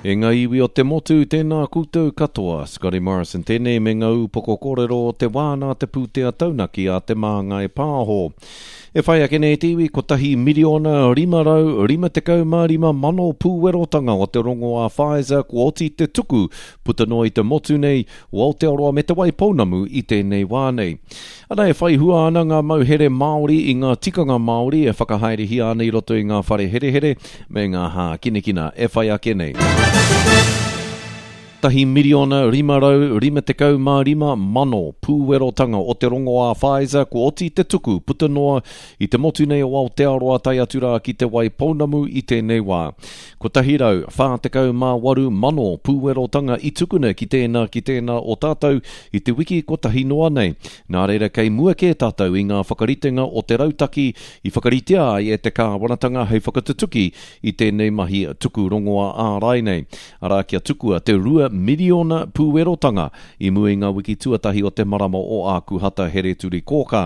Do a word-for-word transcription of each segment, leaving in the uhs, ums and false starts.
E ngā iwi o te motu, tēnā koutou katoa. Scotty Morrison tēnei me ngā upoko kōrero o te wā nā te pūtea taunaki a Te Māngai Pāho. E whai ake nei te iwi, kotahi miriona rima rau rima tekau mā rima mano pūwerotanga o te rongoā Pfizer kua oti te tuku puta noa i te motu nei o Aotearoa me Te Waipounamu i tēnei wā nei. Ana e whai hua ana ngā mauhere Māori i ngā tikanga Māori e whakahaerehia ana i roto i ngā whare herehere me ngā hākinakina e whai ake nei. Tahi miriona rima rau rima tekau mā rima mano pūwerotanga o te rongoā Pfizer kua oti te tuku puta noa i te motu nei o Aotearoa tae atu rā ki Te Waipounamu i tēnei wā. Kotahi rau whā tekau mā waru mano pūwerotanga i tukuna ki tēnā ki tēnā o tātou i te wiki kotahi noa nei. Nā reira kei mua kē tātou i ngā whakaritenga o te rautaki i whakaritea ai e te kāwanatanga hei whakatutuki i tēnei mahi tuku rongoā ārai nei. Arā kia tukua te rua miriona pūwerotanga i mua i ngā wiki tuatahi o te marama o Ākuhata Hereturikōkā.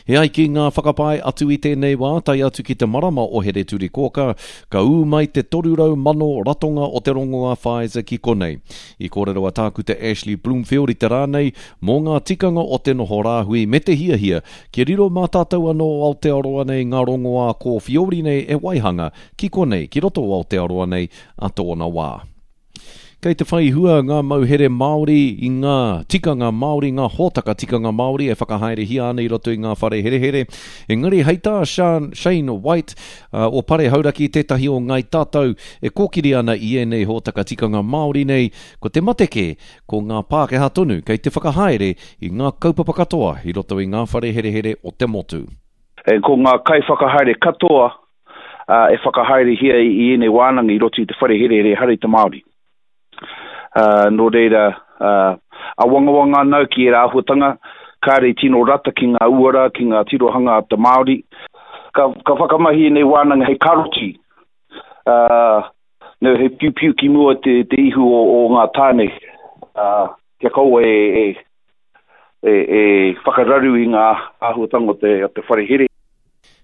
He ai ki ngā whakapae atu i tēnei wā tae atu ki te marama o Hereturikōkā, ka ū mai te toru rau mano ratonga o te rongoā Pfizer ki konei. I kōrero a Tākuta Ashley Bloomfield i te rā nei mō ngā tikanga o te noho rāhui me te hiahia kia riro mā tātou anō o Aotearoa nei ngā rongoā kōwhiori nei e waihanga ki konei, ki roto o Aotearoa nei a tōna wā. Kei te whai hua ngā mauhere Māori i ngā tikanga Māori, ngā hōtaka tikanga Māori e whakahaerehia ana i roto i ngā whare herehere. Engari hei tā Sean, Shane White, uh, o Pare Hauraki tētahi o Ngāi Tātou e kōkiri ana i ēnei hōtaka tikanga Māori nei, ko te mate kē, ko ngā Pākehā tonu kei te whakahaere i ngā kaupapa katoa i roto i ngā whare herehere o te motu. E, ko ngā kaiwhakahaere katoa, uh, e whakahaerehia i ēnei wānanga i roto i te whare herehere ehara i te Māori. Uh, nō reira, uh, awangawanga anau ki ērā āhuatanga, kāre i tino rata ki ngā uara, ki ngā tirohanga a te Māori. Ka, ka whakamahi ēnei wānanga hei karoti, uh, no, hei piupiu ki mua te, te ihu o, o ngā tāne, uh, kia kaua e, e, e, e whakararu i ngā āhuatanga o te, o te whare here.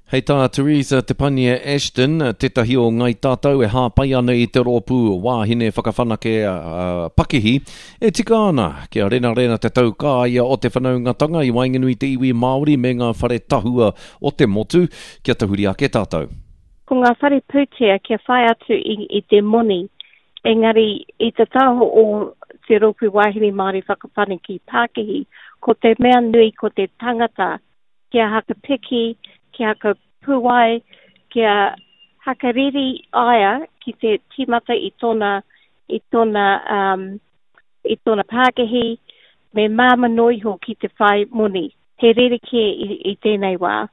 Hei tā Teresa Te Pania Ashton, tētahi o Ngāi Tātou e hāpai ana i te rōpū wāhine whakawhanake, uh, pakihi, e tika ana kia renarena te taukaia o te whanaungatanga i waenganui te iwi Māori me ngā whare tahua o te motu, kia tahuri ake tātou. Ko ngā whare pūtea kia whai atu i, i te moni, engari i te taho o te rōpū wāhine Māori whakawhanake pakihi, ko te mea nui ko te tangata kia hakapiki, kia hakapuai, kia hakariri aia ki te tīmata i tōna, i tōna, um, i tōna pākihi, me māmā noa iho ki te whai moni. He rerekē i, i tēnei wā.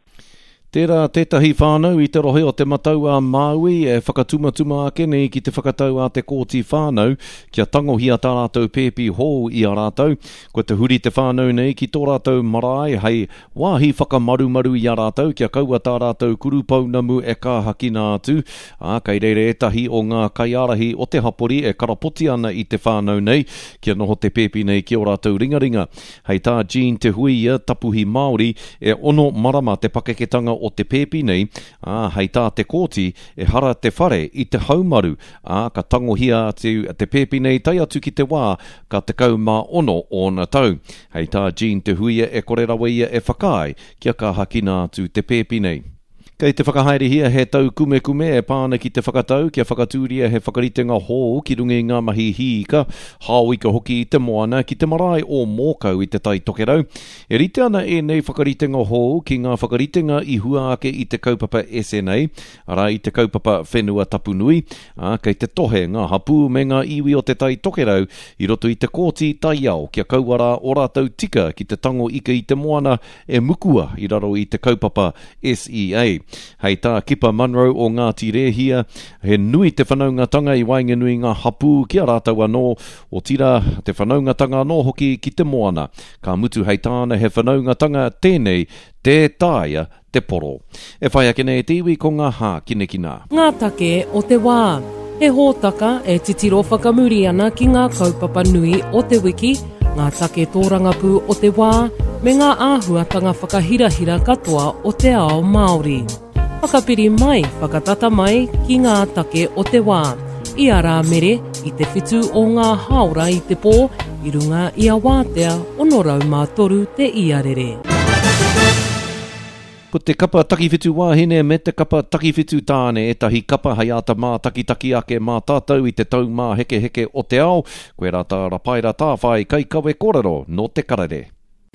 Tērā tētahi whānau i te rohe o Te Matau a Māui e whakatumatuma ake nei ki te whakatau a te Kōti Whānau kia tangohia tā rātou pēpi hou i a rātou. Kua te huri te whānau nei ki tō rātou marae hei wāhi whakamarumaru i a rātou kia kaua tā rātou kurupounamu e kāhakina atu. Ā, kei reira ētahi o ngā kaiārahi o te hapori e karapoti ana i te whānau nei kia noho te pēpi nei ki ō rātou ringaringa. Hei tā Jean Te Huia, tapuhi Māori, e ono marama te pakeketanga o te pēpi nei, ā, hei tā te kōti, ehara te whare i te haumaru, ā, ka tangohia atu te pēpi nei tae atu ki te wā ka tekau mā ono ōna tau. Hei tā Jean Te Huia e kore rawa ia e whakaae kia kāhakina atu te pēpi nei. Kei te whakahaerehia he tau kumekume e pā ana ki te whakatau kia whakatūria he whakaritenga hou ki runga i ngā mahi hīka, hāoika hoki i te moana ki te marae o Mōkau i te Tai Tokerau. E rite ana ēnei whakaritenga hou ki ngā whakaritenga i hua ake i te kaupapa S N A, arā i te kaupapa Whenua Tapu Nui, ā, kei te tohe ngā hapū me ngā iwi o te Tai Tokerau i roto i te kōti taiao kia kaua rā o rātou tika ki te tango ika i te moana e mukua i raro i te kaupapa S E A. Hei tā Kipa Munro o Ngāti Rēhia, he nui te whanaungatanga i waenganui ngā hapū ki a rātou anō, otirā te whanaungatanga anō hoki ki te moana. Ka mutu hei tāna he whanaungatanga tēnei, tē taea te poro. E whai ake nei te iwi ko ngā hākinakina. Ngā take o te wā. He hōtaka e titiro whakamuri ana ki ngā kaupapa nui o te wiki, ngā take tōrangapū o te wā, me ngā āhuatanga whakahirahira katoa o te ao Māori. Whakapiri mai, whakatata mai ki ngā take o te wā. I a Rāmere, i te whitu o ngā hāora i te pō i runga i a Wātea ono rau mā toru te iarere. Ko te kapa takiwhitu wāhine me te kapa takiwhitu tāne ētahi kapa hei āta mātakitaki ake mā tātou i te taumāhekeheke o te ao. Koe rā tā Rapaira Tāwhai kaikawe kōrero nō te karere.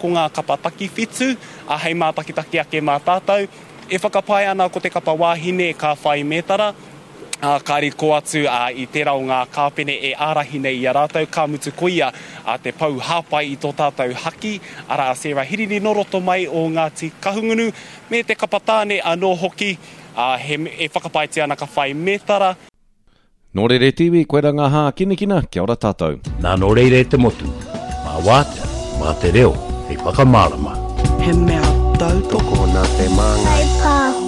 Ko ngā kapa takiwhitu, a hei mātakitaki ake mā tātou, e whakapae ana ko te kapa wāhine ka whai mētara, a, ka riko atu a, i tērā o ngā kāpene e ārahi nei i a rātou, ka mutu ko ia a, te pou hāpai i tō tātou haki, arā a Sarah Hirini nō roto mai o Ngāti Kahungunu, me te kapa tāne anō hoki, a, he, e whakapaetia ana ka whai mētara. Nō rere tiwi, koe rā ngā hākinakina, kia ora tātou. Nā nō reira e te motu, mā wātea, mā te reo, hei whakamārama. He mea tautoko Tokona te māngai. Pāho.